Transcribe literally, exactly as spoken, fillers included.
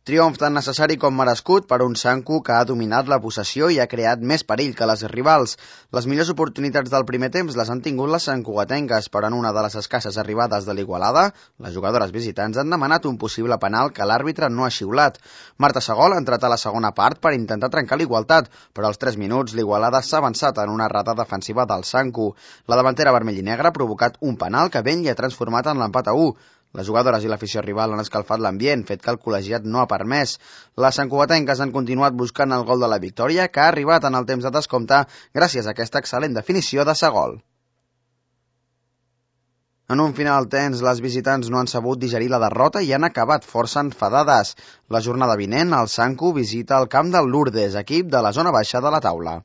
Triomf tan necessari com merescut per un Sanku que ha dominat la possessió i ha creat més perill que les rivals. Les millors oportunitats del primer temps les han tingut les santcugatenques, però en una de les escasses arribades de l'Igualada, les jugadores visitants han demanat un possible penal que l'àrbitre no ha xiulat. Marta Segol ha entrat a la segona part per intentar trencar l'igualtat, però als tres minuts l'Igualada s'ha avançat en una errata defensiva del Sanku. La davantera vermell i negra ha provocat un penal que ben li ha transformat en l'empat a u. Les jugadores i l'afició rival han escalfat l'ambient, fet que el col·legiat no ha permès. Les santcugatenques han continuat buscant el gol de la victòria, que ha arribat en el temps de descompte gràcies a aquesta excel·lent definició de Segol. En un final tens, les visitants no han sabut digerir la derrota i han acabat força enfadades. La jornada vinent, el Sanku visita el camp del Lourdes, equip de la zona baixa de la taula.